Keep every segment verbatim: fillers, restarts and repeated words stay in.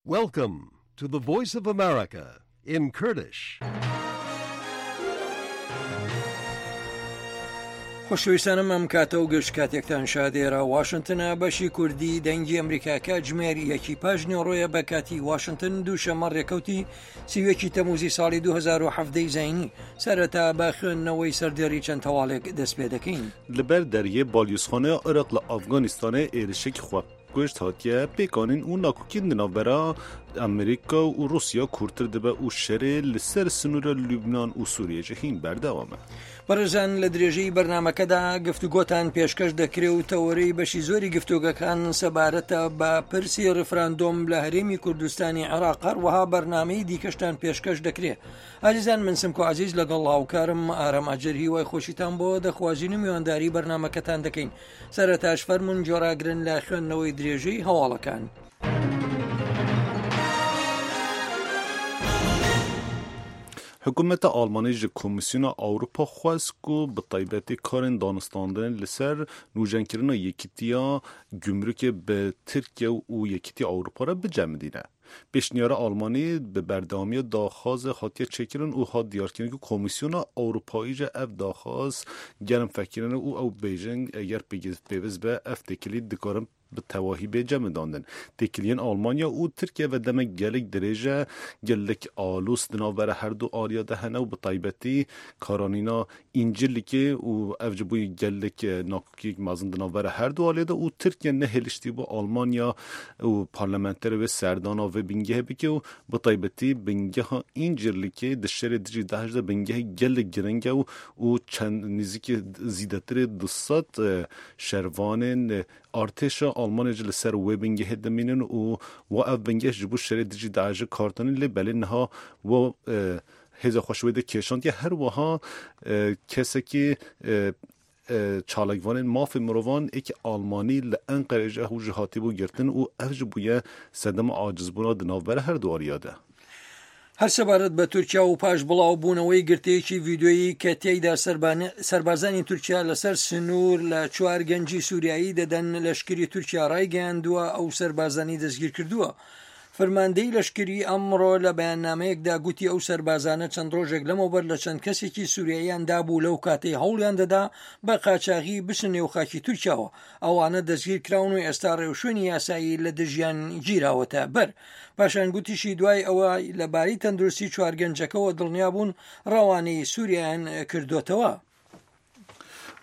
Welcome to the Voice of America in Kurdish. خۆشەویستانم ئەم کاتە و گشت کاتێکتان شادێرە واشنگتنە بەشی کوردی دەنگی ئەمریکا کاتژمێر یەکی پاش نیوەڕۆیە بە کاتی واشنگتن دووشەممە ڕێکەوتی سی و یەکی تەموزی ساڵی دوو هەزار و حەڤدە زایینی. سەرەتا بە خوێندنەوەی سەردێڕی چەند هەواڵێک دەست پێ دەکەین. Li ber deriyê balyozxaneya Iraq li Afganistanê êrişek xwekuj hatiye pêkanîn û nakokiyên di navbera Amerîka û Rûsya kûrtir dibe û şerê li ser sinûra Lubnan û Sûriyê jî hîn berdewam e. بەڕێزان لە درێژەی بەرنامەکەدا گفتوگۆتان پێشکەش دەکرێ و تەوەرەی بەشی زۆری گفتوگەکان سەبارەتە بە پرسی ڕفراندۆم لە هەرێمی کوردستانی عێراق، هەروەها بەرنامەی دیکەشتان پێشکەش دەکرێ. ئازیزان من سمکۆ عزیز لەگەڵ هاوکارم ئارام ئاجر هیوای خۆشیتان بۆ دەخوازین و میوانداری بەرنامەکەتان دەکەین. سەرەتاش فەرمونون گوێڕاگرن لە خوێندنەوەی درێژەی هەواڵەکان. Hikûmeta Almanî ji Komîsyona Ewropa xwest ku bi taybetî karên danûstandinê li ser nûjenkirina Yekîtiya Gumrukê bi Tirkiye û Yekîtiya Ewropa re bicemidîne. Pêşniyara Almanî bi berdewamiya daxwazê hatiye çêkirin û hat diyarkirin ku Komîsyona Ewropayî jî ev daxwaz germ fekirine û ew bêjin eger pêwîst be ev têkilî dikarin bi tevahî bê cemidandin. Têkiliyên Almanya û Tirkiye ve demek gelek dirêj e, gelek aloz di navbera her du aliya de hene û bi taybetî karanîna Încirlikê û ev ji bû gelek nakokiyek mezin di navbera her du aliyê de û Tirkiye nehêliştî bû Almanya û parlamenterê wê serdana vê bingehê bike û bi taybetî bingeha Încirlikê di şerê dijî DAIŞ de bingehê gelek giring e û û çend nêzîkî zêdetirê du sed şervanên artêşa Almanya jî li ser wê bingehê dimînin û wa ev bingeh ji bo şerê dijî DAIŞê kartanî lê belê niha wa hêza xwe ji wê de kêşandiye. Her wiha kesekî çalakvanên mafê mirovan êkî Almanî li Enqerê jî ew jî hatibû girtin û ev jî bûye sedema acizbûna di navbera her du aliya de. هەر سەبارەت بە تورکیا و پاش بڵاوبوونەوەی گرتەیەکی ڤیدیۆیی کە تێیدا سەربازانی تورکیا لەسەر سنوور لە چوار گەنجی سووریایی دەدەن، لەشکری تورکیا ڕایگەیاندووە ئەو سەربازانی دەستگیر کردووە. فەرماندەی لەشکری ئەمڕۆ لە بەیاننامەیەکدا گوتی ئەو سەربازانە چەند ڕۆژێک لەمەوبەر لە چەند کەسێکی سووریاییان دابوو لەو کاتەی هەوڵیان دەدا بە قاچاغی بچن نێو خاکی تورکیاوە. ئەوانە دەستگیر کراون و ئێستا ڕێوشوێنی یاسایی لە دژیان گیراوەتە بەر. پاشان گوتیشی دوای ئەوە لەبارەی تەندروستی چوار گەنجەکەوە دڵنیابوون ڕەوانەی سووریایان کردوتەوە.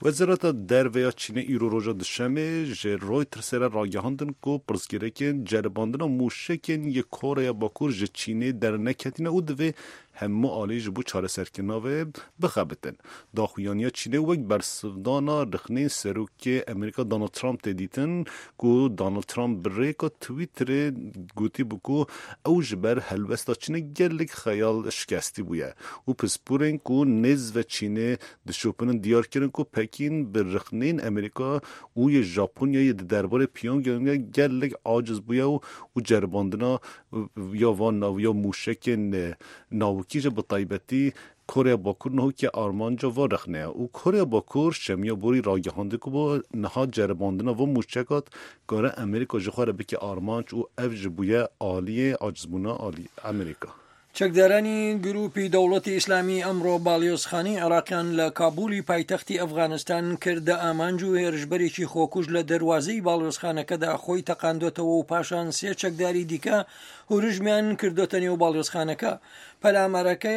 Wezareta Derve ya Çînê îro roja Duşemê ji Reutersê re ragihandin ku pirsgirêkên ceribandina mûşekên yê Koreya Bakur ji Çînê derneketine û divê hemû alî ji bo çareserkirina wê bixebitin. Daxuyaniya Çînê wek bersivdana rexneyên Serokê Amerîka Donald Trump tê dîtin ku Donald Trump bi rêka Twitterê gotîbû ku ew ji ber helwesta Çînê gelek xeyal şikestî bûye û pisporên ku nêz ve Çînê dişopinin diyar kirin ku Pekîn bi rexneyên Amerîka û yê Japonyayê di derbarê Pyongyangê gelek aciz bûye û û ceribandina ya van nav ya mûşekên navokî jî bi taybetî Koreya Bakur niha armanca va rexneye û Koreya Bakur şemiya borî ragihandî ku bo niha ceribandina van mûşekat kare Amerîka ji xwe re bike armanc û ev jî bûye aliyê acizbûna alî Amerîka. چەکدارانی گروپی دەوڵەتی ئیسلامی ئەمڕۆ باڵیۆزخانەی عێراقیان لە کابولی پایتەختی ئەفغانستان کردە ئامانج و هێرشبەرێکی خۆکوژ لە دەواازەی باڵیۆزخانەکەدا خۆی تەقاندۆتەوە و پاشان سێ چەکداری دیکە هورژمیان کردوتە نێو باڵیۆزخانەکە. پەلامارەکە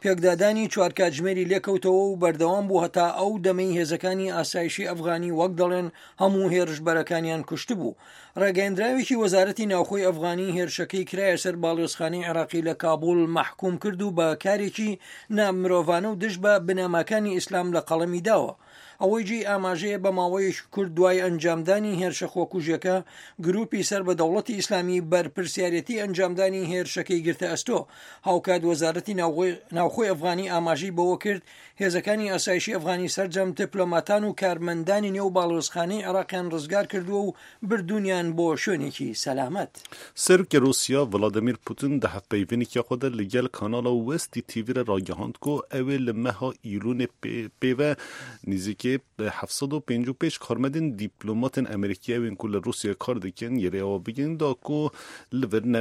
پێکدادانی چوار کاتژمێری لێکەوتەوە و بەردەوام بوو هەتا ئەو دەمەی هێزەکانی ئاسایشی ئەفغانی وەک دەڵێن هەموو هێرشبەرەکانیان کوشتبوو. ڕاگەیەندراوێکی وەزارەتی ناوخۆی ئەفغانی هێرشەکەی کرایە سەر باڵیۆزخانەی عێراقی لە کابول مەحکوم کرد و بە کارێکی نامرۆڤانە و دژ بە بنەماکانی ئیسلام لە قەڵەمی داوە. ئەوەی جێی ئاماژەیە بە ماوەیەکی کورت دوای ئەنجامدانی هێرشە خۆکوژەکە گروپی سەر بە دەوڵەتی ئیسلامی بەرپرسیارەتی ئەنجامدانی هێرشەکەی گرتە ئەستۆ. هاوکات وەزارەتی ناوخۆی ئەفغانی ئاماژەی بەوە کرد هێزەکانی ئاسایشی ئەفغانی سەرجەم دیپلۆماتان و کارمەندانی نێو باڵیۆزخانەی عێراقیان ڕزگار کردووە و بردونیان بۆ شوێنێکی سەلامەت. Serokê Rûsya Vladimir Putin di hevpeyvînekî xwe de li gel kanala Vesti T V re ragihand ku ew ê li meha Îlonê pêve nêzîkê heft sed û pêncî û pênc karmendên dîplomatên Amerîkî ewên ku li Rûsyayê kar dikin yerê ava bikin da ku li vir